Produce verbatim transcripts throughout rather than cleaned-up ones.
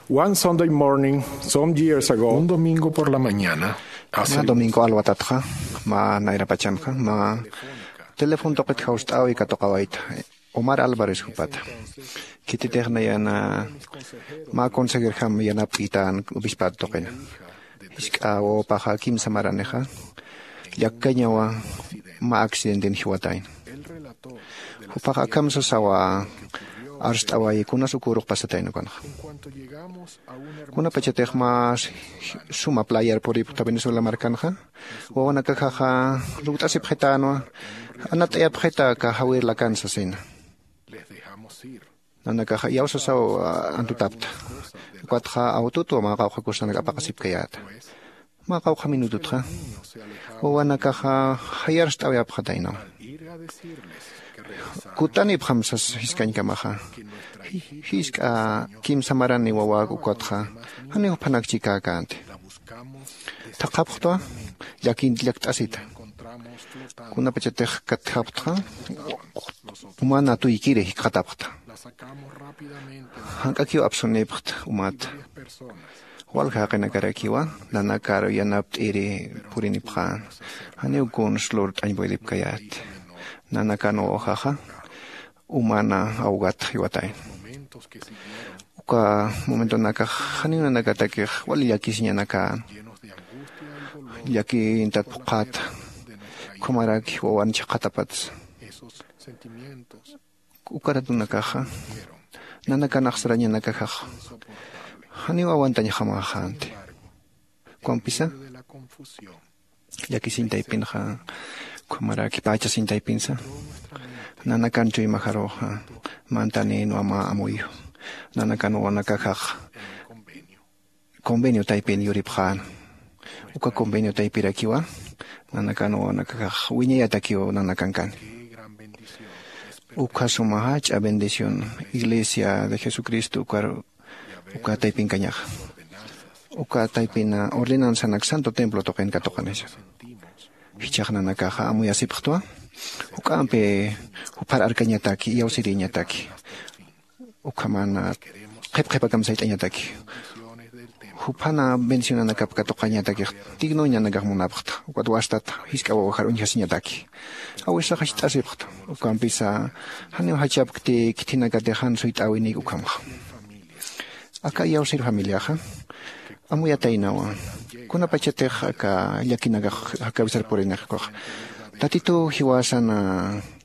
One Sunday morning, some years ago, un domingo por la mañana, hace... Mä domingo alwatatxa, mä nayrapachanxa, mä telefon tuqit jawst'äwi katuqawayta, Omar Álvarez jupata. Khititix nayan mä consejerjam yanapt'itän obispat tuqina. Jisk'a wawapaxa kimsa maranixa llakkañawa, mä accidenten jiwatayna. Jupax akham sasawa arst'awayi kunas ukürux pasatayna ukanxa. Kunapachatix mä suma playar puripxta Venezuela markanxa, wawanakaxaxa lukt'asipxitänwa, anat'ayapxita aka jawir lakan sasina. Nanakaxa iyawsasaw antutapta. Ukatxa awtutwa mä qawqha kusanak apaqasipkayäta. Mä qawqha minututxa wawanakaxa jayarst'awayapxataynawa. Kutanipxam sas jiskañkamaxa. Jisk'a kimsa marani wawak ukatxa janiw juphanak chikäkänti. Thaqhapxtwa, llakin llakt'asita. Kunapachatix katjapxtxa, umana tuykiri jikxatapxta. Jank'akiw apsunipxt umat. Walja jaqinakarakiwa nanakar yanapt'iri purinipxän. Janiw kuns lurt'añ puedipkayät. Nanakan wawajaxa umana awgat jiwatayna. Uka momentonakax janiw nanakatakix wali llakisiñanakän. Llakintat phuqhäta. Ukhamaraki wawan chhaqhatapatsa. Uka ratunakaxa nanakanx sarañanakaxax janiw aguantañjamäxänti. Ukampisa llakisiñ taypinxa, ukhamaraki pächasiñ taypinsa, nanakan chuymajaruxa mantanïnwa mä amuyu. Nanakan wawanakaxax convenio taypin yuripxän. Uka convenio taypirakiwa nanakan wawanakaxax wiñayatakiw nanakankani. Ukha suma jach'a bendición Iglesia de Jesucristo ukar uka taypinkañaxa. Uka taypina ordenanzanak santo templo tuqin katuqanisa. Jichhax nanakaxa amuyasipxtwa, juk'ampi juphar arkañataki, iyawsirïñataki. Ukhaman qhip qhipakam sayt'añataki. Juphana bendicionanakap katuqañatakix, dignoñ nanakax munapxta. Ukat wastat jisk'a wawajar uñjasiñataki. Awisax jiskt'asipxta. Ukampisa janiw jachapkti khithinakatix jan suyt'äwinik ukhamxa. Aka iyawsir familiaxa amuyataynawa. Kunapachatix aka llakinakax jakawisar purinix ukax, Tatituw jiwasan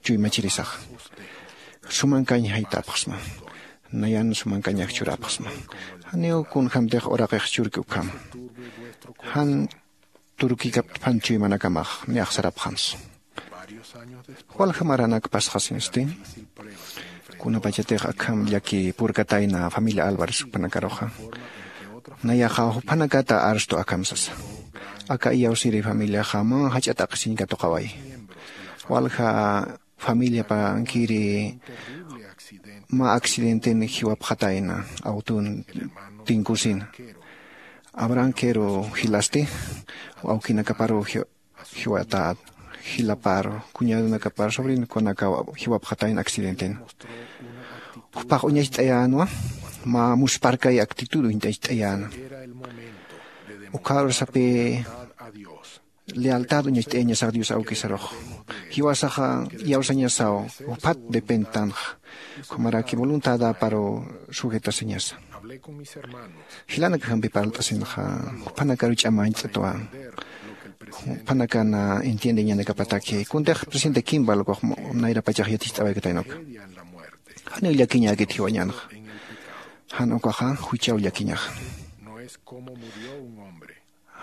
chuymachirisaxa. Sumankañ jaytapxsma. Nayan sumankañax churapxsma. Janiw kunjämtix uraqix churki ukhama. Jan turkikaptpan chuymanakamax niyax sarapxamsa. Walja maranak pasxasinsti, kunapachatix akham llaki purkatayna familia Álvarez juphanakaruxa, nayaxa juphanakata arstu akham sasa. Aka iyawsiri familiaxa mä jach'a t'aqhisiñ katuqawayi. Walja familiapankiri mä accidenten jiwapxatayna, awtun tinkusina. Abraham Quero jilasti, awkinakaparu ji-, jiwatät, jilaparu, cuñadonakapar, sobrinokunakaw jiwapxatayna accidenten. Jupax uñacht'ayänwa, mä musparkay actitud uñacht'ayäna. Ukhar sapï lealtad uñacht'ayañasax Dios awkisarux. Jiwasaxa iyawsañasaw, juphat dependtanxa. Ukhamaraki voluntadaparu sujetasiñasa. Jilanakajampi parlt'asinxa, juphanakaru ch'amañt'atwa. Juphanakana entiendeñanakapataki. Kuntix presidente Kimball ukax nayrapachax yaticht'awaykatayna uka. Janiw llakiñäkit jiwañänxa. Jan ukaxa juchaw llakiñaxa.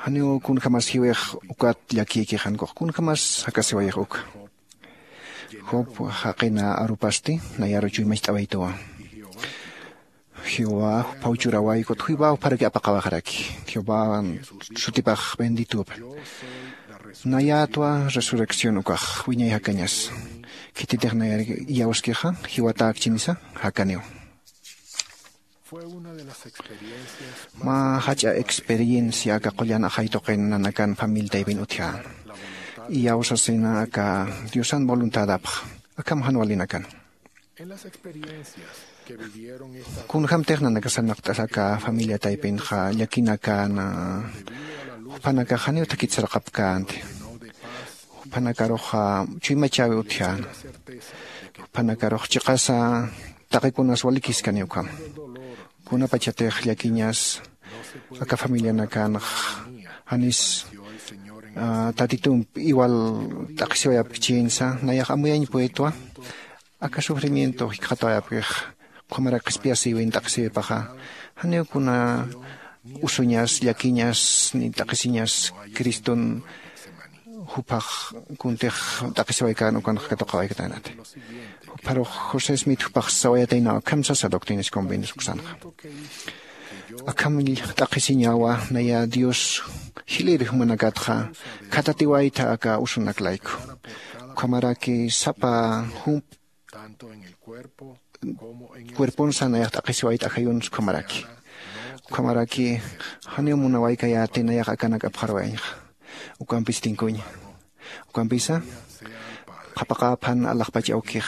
Janiw kunjämas jiwix ukat llakïkix jan ukax. Kunjämas jakasiwayix uka. Job jaqina arupasti, nayaru chuymacht'awaytuwa. Jehová juphaw churäway, ukat Jehová jupharaki apaqawaxaraki. Jehová sutipax benditupa. Nayätwa resurrección ukax, wiñay jakañas. Khititix nayar iyawskixa, jiwatäkchinisa, jakaniw. Mä jach'a experiencia aka qullan ajay tuqin nanakan familia taypin utjä. Iyawsasina aka Diosan voluntadapx. Akham jan walinakan. Kunjämtix nanakasanaqt'as aka familia taypinxa llakinakana, juphanakax janiw thakit sarqapkänti. Juphanakaruxa chuymachäwi utjäna. Juphanakaruxa chiqasa taqikunas walikiskani ukham. Kunapachatix llakiñas aka familianakanx janis tatitump iwal t'aqhisiwayapkichinsa nayax amuyañ puritwa. Aka sufrimiento jikxatawayapkix ukhamarak qhispiyasïwin t'aqhisiwipaxa, janiw kuna usuñas llakiñas ni t'aqhisiñas criston juphax kuntix t'aqhisiwaykän ukanx katuqawaykatanati. Jupharux josé smith jupax sawayataynaw akham sasa doctrinas convenios uksanxa. Akham t'aqhisiñawa naya dios jilïr jumanakatxa khatatiwaytha aka usunak layku. Ukhamaraki sapa jump cuerponsa nayax t'aqhisiwayta ajayuns ukhamaraki. Ukhamaraki janiw munawaykayäti nayax akanak apxarwayañxa. Ukampis tinkuña. Ukampisa qhapaqäphan alaxpach awkix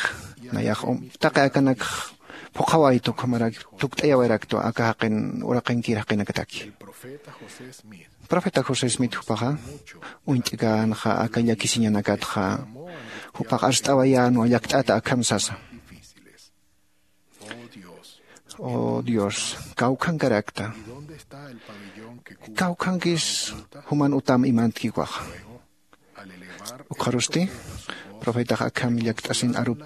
nayax taqi akanakx phuqhawayta ukhamarak tukt'ayawayraktwa aka jaqin uraqinkir jaqinakataki. Profeta josé smith jupaxa uñt'känxa aka llakisiñanakatxa jupax arst'awayänwa llakt'ata akham sasa. Oh dios, kawkhankarakta. Kawkhankis juman utam imantki ukaxa. Ukxarusti profetax akham llakt'asin arup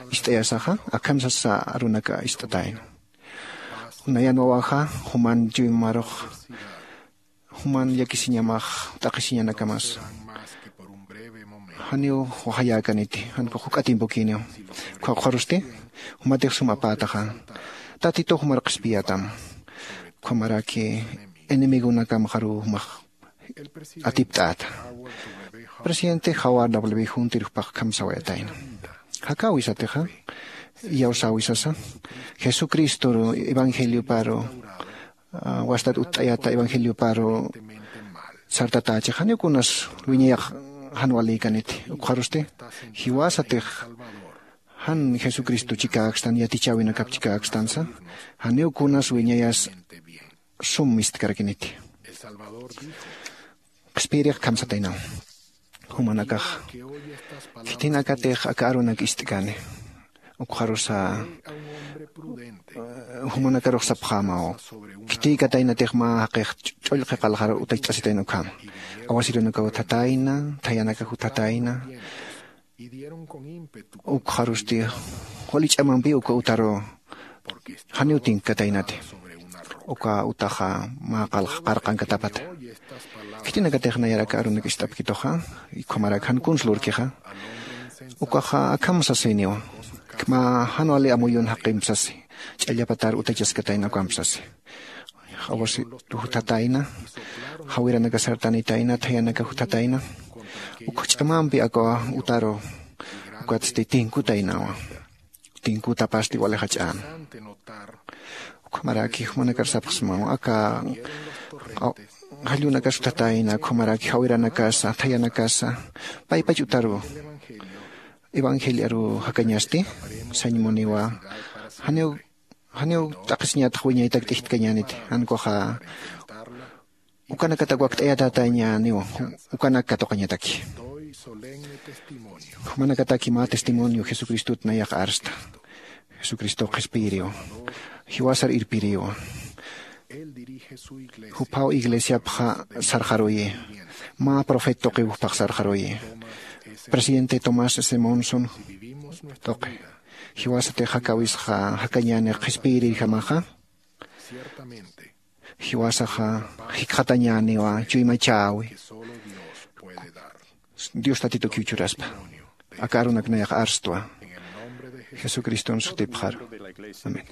ist'ayasaxa akham sasa arunaka ist'atayna. Nayan wawaxa juman chuymarux juman llakisiñamax t'aqhisiñanakamas janiw waxayäkaniti. Jan kux juk'a timpukïniw. Ukxa ukxarusti jumatix sum apätaxa tatitux jumar qhispiyätam. Ukhamaraki enemigonakamxaruw jumax atipt'äta. Presidente jawar w huntir jupax akham sawayatayna. Jakäwisatixa iyawsäwisasa jesucristoru evangelioparu wastat utt'ayata evangelioparu sartatächix janiw kunas wiñayax jan walïkaniti. Ukxarusti jiwasatix jan jesucristo chikäkstan yatichäwinakap chikäkstansa janiw kunas wiñayas sum mistkarakïniti. Qhispiyirix akham sataynaw jumanakax khitinakatix aka arunak ist'kani. Ukxarusa jumanakarux sapxämaw khitïkataynatix mä jaqix ch'ullqi qalxar utachasitayna ukhama. Awasirunakaw utjatayna, thayanakax utjatayna. Ukxarusti wali ch'amampi uka utaru janiw tinkkataynati. Uka utaxa mä qarqankatapata. Khitinakatix nayaraka arunak ist'apkituxa ukhamarak jan kuns lurkixa. Ukaxa akham sasiniwa mä jan wali amuyun jaqimp sasi. Ch'allapatar utachaskatayna ukamp sasi. Awasi juthatayna, jawiranaka sartanitayna, thayanaka juthatayna. Ukx ch'amampi aka utaru ukatsti tinkutaynawa. Tinkutapasti wali jach'an. Ukhamaraki jumanakar sapxsmaw aka jallunakas juthatayna ukhamaraki jawiranakasa thayanakasa paypach utaru evangeliaru jakañasti. Sañmuniwa janiw janiw t'aqhisiñatax wiñaytak t'ijtkañäniti. Jan kuxa ukanakatak wakt'ayatätañäniw. Ukanak katuqañataki jumanakataki mä testimonio jesucristot nayax arsta. Jesucristox qhispiyiriw. Jiwasar irpiriw. Juphaw iglesiapxa sarxaruyi. Mä profet tuqiw juphax sarxaruyi. Presidente tomás s monson tuqi. Jiwasatix jakäwisxa jakañänix qhispiyirirjamaxa. Jiwasaxa jikxatañäniwa chuymachäwi. Dios tatitukiw churaspa aka arunak nayax arstwa. Jesucriston sutipxaru. Amén.